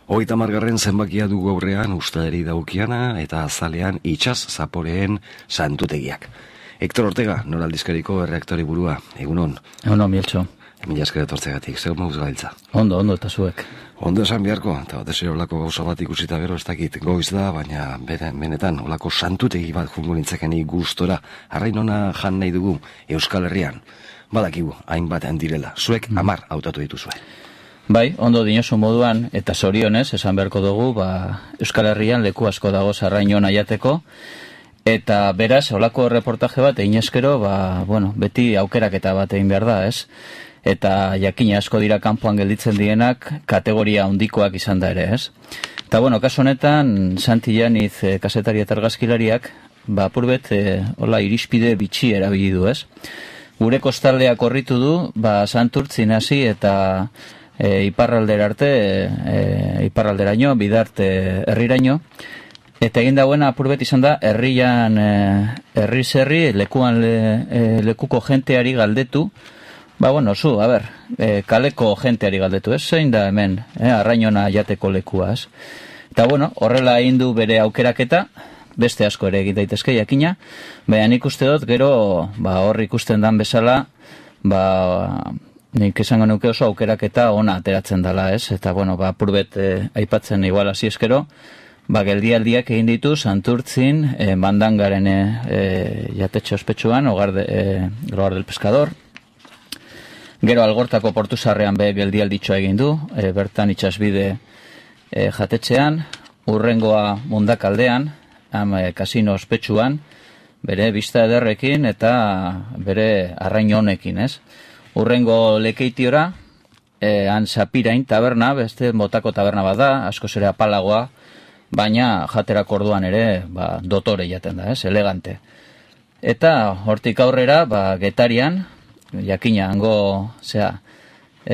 30. zenbakia dugu aurrean ustaderi daukiana eta azalean itsas zaporeen santutegiak. Hector Ortega, noraldizkariko erreaktori burua, egunon. Egunon, Mieltxo. Mila esker etortzegatik, zer mauz gailtza? Ondo, eta zuek. Ondo esan beharko, eta batez ere olako gauza bat ikusita gero ez dakit goiz da, baina benetan olako santutegi bat jungo nintzakeni gustora, arrain ona jan nahi dugu Euskal Herrian. Badakigu, hainbat direla, zuek 10 hautatu dituzue. Bai, ondo dinosu moduan, eta zorionez, esan beharko dugu, Euskal Herrian leku asko dago arrain ona jateko, eta beraz, olako reportaje bat egin eskero, beti aukeraketa bat egin behar da, ez? Eta jakina asko dira kanpoan gelditzen dienak kategoria handikoak izan da ere, ez? Eta kasu honetan, Santi Janiz kazetari eta argazkilariak, apurbet, irispide bitxi erabili du, ez? Gure kostaldeak korritu du, Santurtzin hasi eta iparraldera arte, iparralderaino, bidarte herriraino, eta egin dagoena apurbet izan da, herri lekuko jenteari galdetu, kaleko jenteari galdetu, ez? Zein da hemen, arrainona jateko lekua, ez? Eta horrela egin du bere aukeraketa, beste asko ere egin daitezke jakina, baina nik uste dut, gero, hor ikusten dan bezala, nik esango nuke oso aukeraketa ona ateratzen dela, ez? Eta, apurbet aipatzen igual hasi eskero, geldialdiak egin ditu Santurtzin, Mandangaren jatetxe ospetsuan, Hogar del Pescador. Gero Algortako portu sarrean geldialditxoa egin du, bertan itsasbide jatetxean, urrengoa Mundakaldean, kasino ospetsuan, bere bista ederrekin eta bere arrain honekin, ez? Urrengo Lekeitiora, han Sapirain taberna, beste motako taberna bat da, asko zere apalagoa, baina jaterako orduan ere dotore jaten da, ez? Elegante. Eta hortik aurrera, Getarian, jakina, hango,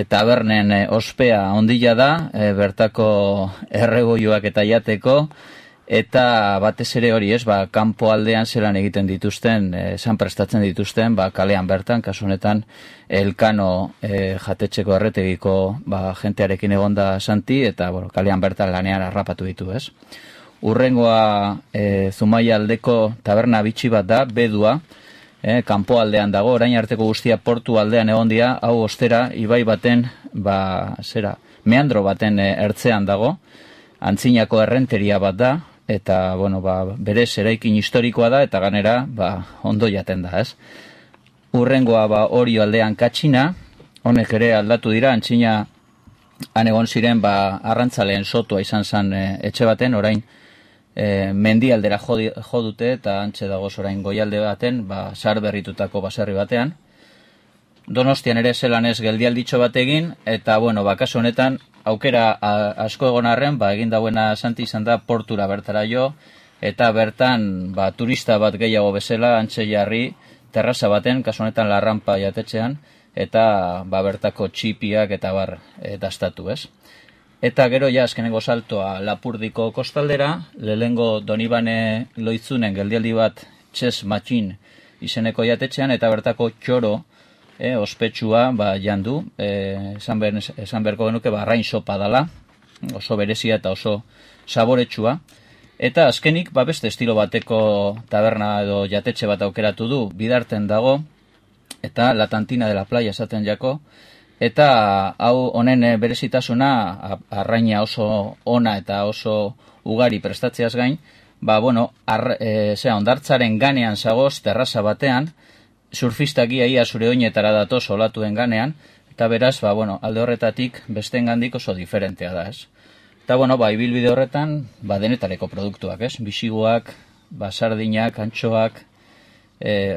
tabernen ospea ondila da, bertako erregoioak eta jateko, eta batez ere hori ez, kanpo aldean zelan egiten dituzten, esan prestatzen dituzten, kalean bertan, kasu honetan, Elkano jatetxeko erretegiko jentearekin egonda Santi, eta kalean bertan lanean harrapatu ditu, ez? Urrengoa Zumaia aldeko taberna bitxi bat da, Bedua, kanpo aldean dago, orain arteko guztia portu aldean egon dira, hau ostera, ibai baten, meandro baten ertzean dago, antzinako errenteria bat da, eta, berez eraikin historikoa da, eta ganera, ondo jaten da, ez? Urrengoa, Orio aldean Katxina, honek ere aldatu dira, antzina han egon ziren, arrantzaleen sotua izan zen etxe baten, orain, mendialdera jo dute, eta antxe dagoz orain goialde baten, sar berritutako baserri batean. Donostian ere zelan ez geldialditxo bat egin, eta, kasu honetan, aukera asko egon arren, egin dauena Santi izan da portura bertara jo, eta bertan, turista bat gehiago bezala, antxe jarri, terraza baten, kasu honetan Larrampa jatetxean, eta bertako txipiak eta dastatu, ez? Eta gero azkenengo saltoa Lapurdiko kostaldera, lehengo Donibane Loitzunen geldialdi bat Chess Machine izeneko jatetxean, eta bertako txoro ospetsua jandu, esan beharko genuke arrain sopa dala, oso berezia eta oso saboretsua. Eta azkenik beste estilo bateko taberna edo jatetxe bat aukeratu du, Bidarten dago, eta La Tantina de la Playa esaten jako, eta hau honen berezitasuna arraina oso ona eta oso ugari prestatzeaz gain, hondartzaren ganean zagoz terraza batean, surfistak ia zure oinetara datoz olatuen ganean, eta beraz, alde horretatik bestengandik oso diferentea da, ez? Eta, ibilbide horretan, denetareko produktuak, ez? Bisiguak, sardinak, antxoak,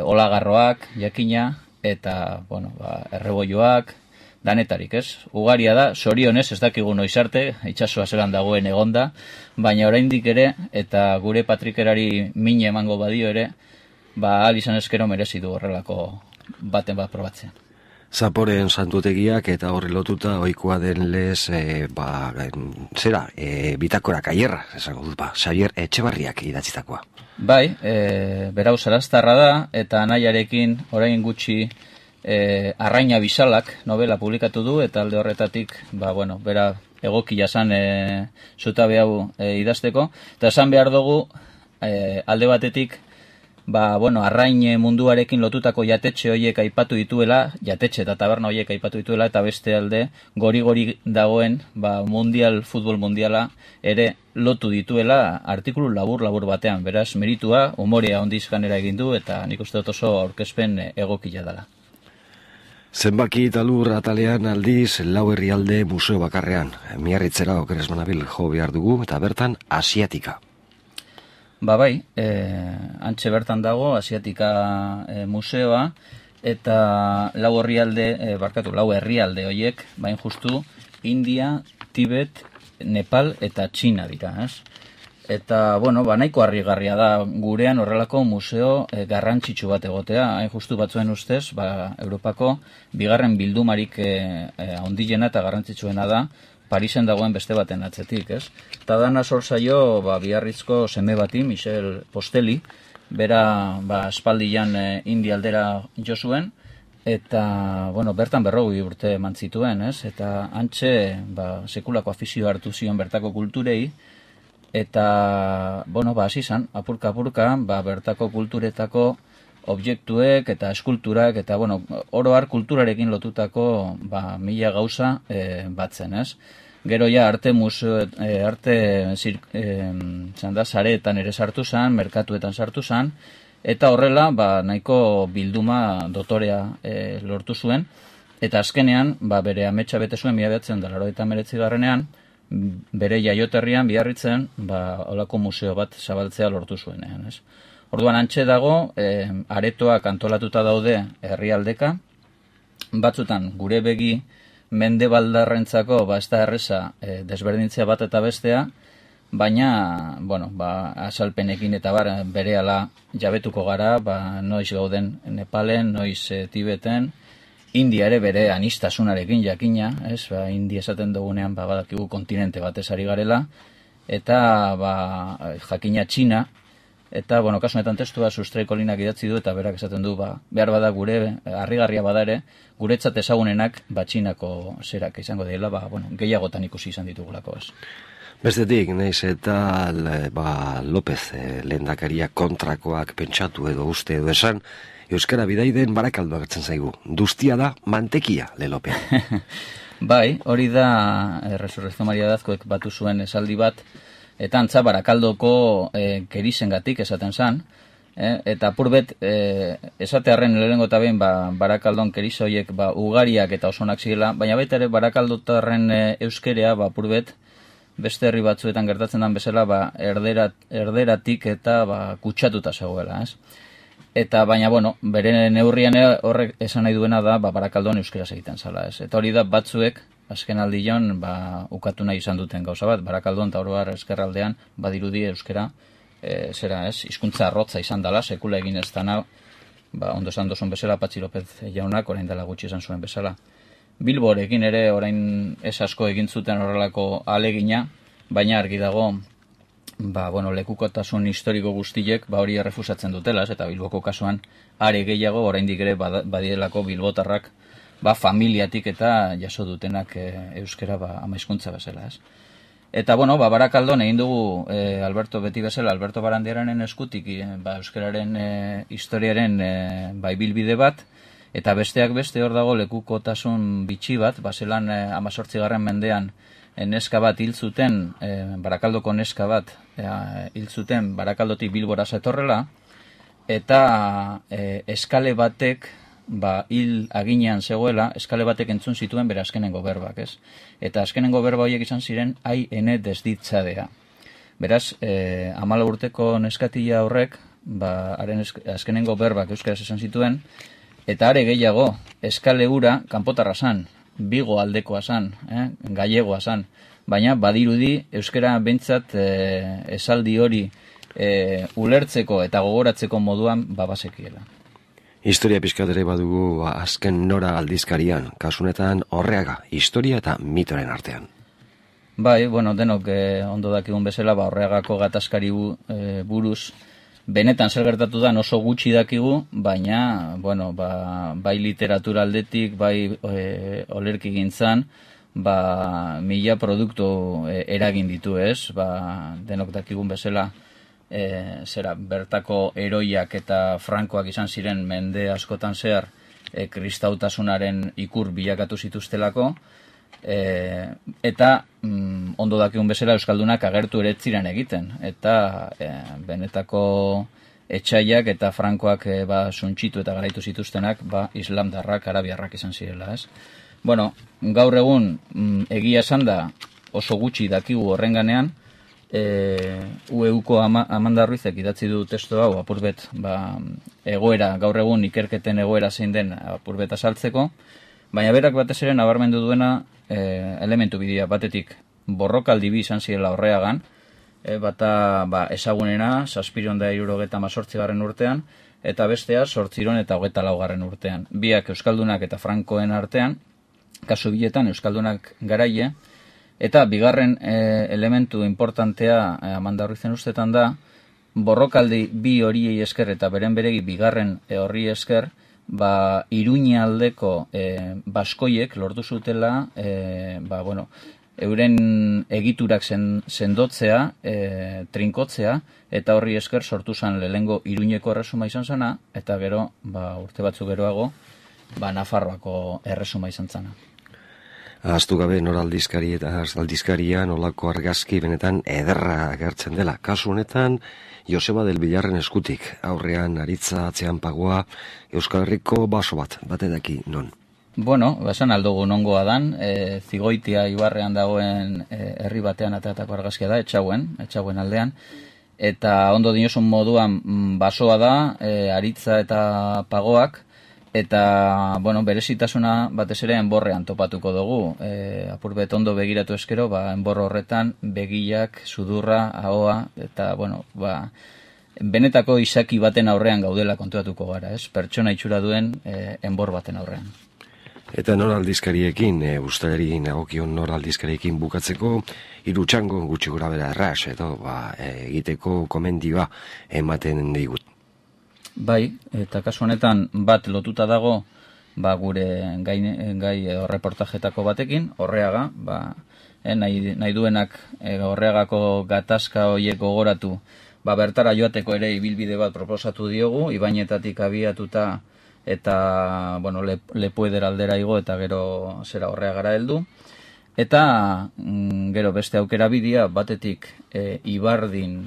olagarroak, jakina, eta, erreboioak, danetarik, ez? Ugaria da, zorionez, ez dakigu noiz arte, itsasoa zelan dagoen egonda, baina oraindik ere, eta gure patrikerari mine emango badio ere, ahal izan eskero merezi du horrelako baten bat probatzen. Zaporeen santutegiak eta horri lotuta ohikoa den lez, bitakora kaierra, esango dut, Xabier Etxebarriak idatzitakoa. Bai, berau Saraztarra da, eta anaiarekin orain gutxi Arraina Bisalak novela publikatu du, eta alde horretatik, bera egokia zan zutabe hau idazteko. Eta esan behar dugu, alde batetik, arrain munduarekin lotutako jatetxe horiek aipatu dituela, jatetxe eta taberna horiek aipatu dituela, eta beste alde, gori dagoen, futbol mundiala ere lotu dituela artikulu labur batean. Beraz, meritua, umorea ondiz ganera egin du, eta nik uste dut oso aurkezpen egokia dela. Zenbaki eta lur atalean aldiz lau herrialde museo bakarrean. Miarritzera okeres manabil jo behar dugu, eta bertan Asiatika. Bai, antxe bertan dago Asiatika museoa, eta lau herrialde horiek, bain justu, India, Tibet, Nepal eta Txina dira, ez? Eta, nahiko harrigarria da gurean horrelako museo garrantzitsu bat egotea, hain justu batzuen ustez, Europako bigarren bildumarik handiena eta garrantzitsuena da, Parisen dagoen beste baten atzetik, ez? Eta dana zor zaio, Biarritzko seme bati, Michel Posteli, bera, espaldian India aldera jo zuen, eta, bertan 40 urte mantzituen, ez? Eta antxe, sekulako afizio hartu zion bertako kulturei, eta, hasi zan, apurka, bertako kulturetako objektuek eta eskulturak, eta, oro har kulturarekin lotutako, mila gauza batzen, ez? Gero ja arte sareetan ere sartu zan, merkatuetan sartu zan, eta horrela, nahiko bilduma dotorea lortu zuen, eta azkenean, bere ametsa bete zuen 1989 bere jaioterrian Biarritzen, holako museo bat zabaltzea lortu zuenean, ez? Orduan antxe dago, aretoak antolatuta daude herrialdeka, batzutan gure begi mendebaldarrentzako ez da erreza desberdintzea bat eta bestea, baina, azalpenekin eta berehala jabetuko gara, noiz gauden Nepalen, noiz Tibeten, India ere bere anistasunarekin jakina, ez? India esaten dugunean badakigu kontinente batez ari garela, eta jakina Txina, eta, kasu honetan testua Sustraiko linak idatzi du, eta berak esaten du, behar bada gure, harrigarria bada ere, guretzat ezagunenak Txinako zerak izango dela, gehiagotan ikusi izan ditugulako, ez. Bestetik, naiz eta López lehendakaria kontrakoak pentsatu edo uste edo esan, euskara bidaiden Barakaldo agertzen zaigu. Duztia da mantekia, lelopean. Bai, hori da Resurrección Maria Dazkoek batu zuen esaldi bat, eta antza Barakaldoko kerizengatik esaten zan, eta apurbet esatearren lehenengo eta behin Barakaldon kerizoiek ugariak eta osonak zirela, baina baita ere Barakaldotarren euskerea apurbet beste herri batzuetan gertatzen den bezala erderatik eta kutsatuta zegoela, ez? Eta baina, bere neurrian horrek esan nahi duena da Barakaldon euskeraz egiten zala, ez? Eta hori da batzuek azken aldion ukatu nahi izan duten gauza bat, Barakaldon eta oroar eskerraldean badirudi euskera hizkuntza arrotza izan dela, sekula egin ez dana, ondo esan dozun bezala, Patxi López jaunak orain dela gutxi esan zuen bezala. Bilborekin ere orain ez asko egin zuten horrelako alegina, baina argi dago, lekukotasun historiko guztiek hori errefusatzen dutela, eta Bilboko kasuan are gehiago oraindik ere badirelako bilbotarrak familiatik eta jaso dutenak euskera ama hizkuntza bezala, ez. Eta, Barakaldon egin dugu beti bezala, Alberto Barandiaranen eskutik euskararen historiaren ibilbide bat, eta besteak beste hor dago lekukotasun bitxi bat, zelan 18. mendean neska bat hil zuten, Barakaldoko neska bat hil zuten Barakaldotik Bilbora zetorrela, eta eskale batek hil aginean zegoela, eskale batek entzun zituen bere azkenengo berbak, ez? Eta azkenengo berba horiek izan ziren, ai ene desditzadea. Beraz, 14 urteko neskatila horrek, haren azkenengo berbak euskaraz esan zituen, eta are gehiago, eskale hura kanpotarra zan, Bigo aldekoa zan, gallegoa zan, baina badirudi euskara bentsat esaldi hori ulertzeko eta gogoratzeko moduan basekiela. Historia pixkat ere badugu azken nora aldizkarian, kasunetan Orreaga, historia eta mitoren artean. Bai, denok ondo dakigun bezala, Orreagako gatazkari buruz, benetan zer gertatu da oso gutxi dakigu, baina, bai literatura aldetik, bai olerki gintzan, mila produktu eragin ditu, ez? Denok dakigun bezala, bertako heroiak eta frankoak izan ziren mende askotan zehar kristautasunaren ikur bilakatu zituztelako, eta ondo dakigun bezala euskaldunak agertu ere ziren egiten, eta benetako etxaiak eta frankoak suntxitu eta garaitu zituztenak islamdarrak, arabiarrak izan zirela, ez? Bueno, gaur egun egia esan da oso gutxi dakigu horrenganean, UEUko Amanda Ruizek idatzi du testu hau apurbet egoera, gaur egun ikerketen egoera zein den apurbet azaltzeko, baina berak batez ere nabarmendu duena elementu bidea batetik borrokaldi bi izan zirela Orreagan, bata ezagunena 778. urtean, eta bestea 824. urtean. Biak euskaldunak eta frankoen artean, kasu biletan euskaldunak garaie, eta bigarren elementu importantea Amanda Ruizen ustetan da, borrokaldi bi horiei esker eta beren beregi bigarren horri esker, Iruña aldeko baskoiek lortu zutela, euren egiturak sendotzea, trinkotzea, eta horri esker sortu zen lehengo Iruñeko erresuma izan zena, eta gero, urte batzuk geroago, Nafarroako erresuma izan zena. Ahaztu gabe noraldizkari eta aldizkarian olako argazki benetan ederra agertzen dela. Kasu honetan, Joseba del Villarren eskutik, aurrean aritza atzean pagoa, Euskal Herriko baso bate daki non. Bueno, esan aldugu nongoa dan, Zigoitia ibarrean dagoen herri batean ateatako argazkia da, etxauen aldean, eta ondo dinosun moduan basoa da, aritza eta pagoak, eta, berezitasuna batez ere enborrean topatuko dugu. Apurbet ondo begiratu eskero, enbor horretan begiak, sudurra, ahoa, eta, benetako izaki baten aurrean gaudela kontuatuko gara, ez? Pertsona itxura duen enbor baten aurrean. Eta noraldizkariekin, ustaleri nagokion noraldizkariekin bukatzeko, hiru txango gutxi gora bera erraz, edo egiteko komendioa ematen digut. Bai, eta kasu honetan bat lotuta dago gure gai reportajetako batekin, Orreaga, nahi duenak Orreagako gatazka horiek gogoratu, bertara joateko ere ibilbide bat proposatu diogu, Ibainetatik abiatuta eta, Lepueder aldera igo eta gero zera Orreagara heldu. Eta gero beste aukera bidea batetik Ibardin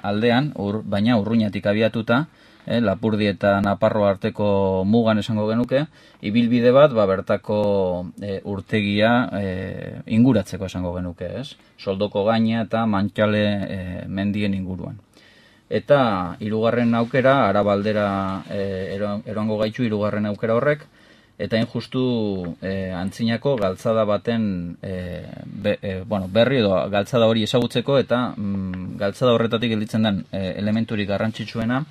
aldean, baina Urruñatik abiatuta, Lapurdi eta Naparro arteko mugan esango genuke, ibilbide bat bertako urtegia inguratzeko esango genuke, ez? Soldoko gaina eta Mantxale mendien inguruan. Eta hirugarren aukera, Arabaldera eroango gaitu hirugarren aukera horrek, eta justu antzinako galtzada baten berri edo galtzada hori ezagutzeko, eta galtzada horretatik gelditzen den elementurik garrantzitsuena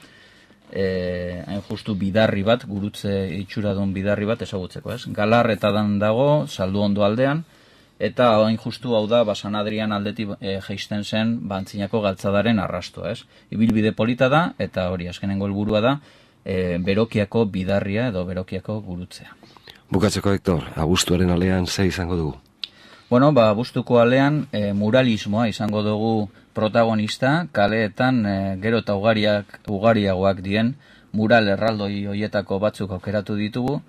justu bidarri bat, gurutze itxuradun bidarri bat ezagutzeko, ez? Galarretadan dago, Saldu Ondo aldean, eta justu hau da San Adrian aldetik jeisten zen antzinako galtzadaren arrastoa, ez? Ibilbide polita da, eta hori azkenengo helburua da, Berokiako bidarria edo Berokiako gurutzea. Bukatzeko, Hector, abuztuaren alean ze izango dugu? Abuztuko alean muralismoa izango dugu protagonista, kaleetan gero eta ugariagoak dien mural erraldoi hoietako batzuk aukeratu ditugu,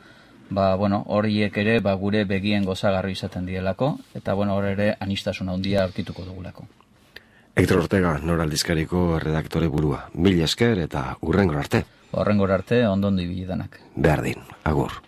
horiek ere gure begien gozagarri izaten dielako, eta hor ere anistasuna handia aurkituko dugulako. Hector Ortega, noraldizkariko redaktore burua. Mila esker eta hurrengora arte. Horrengora arte, ondondo ibili denak. Berdin, agur.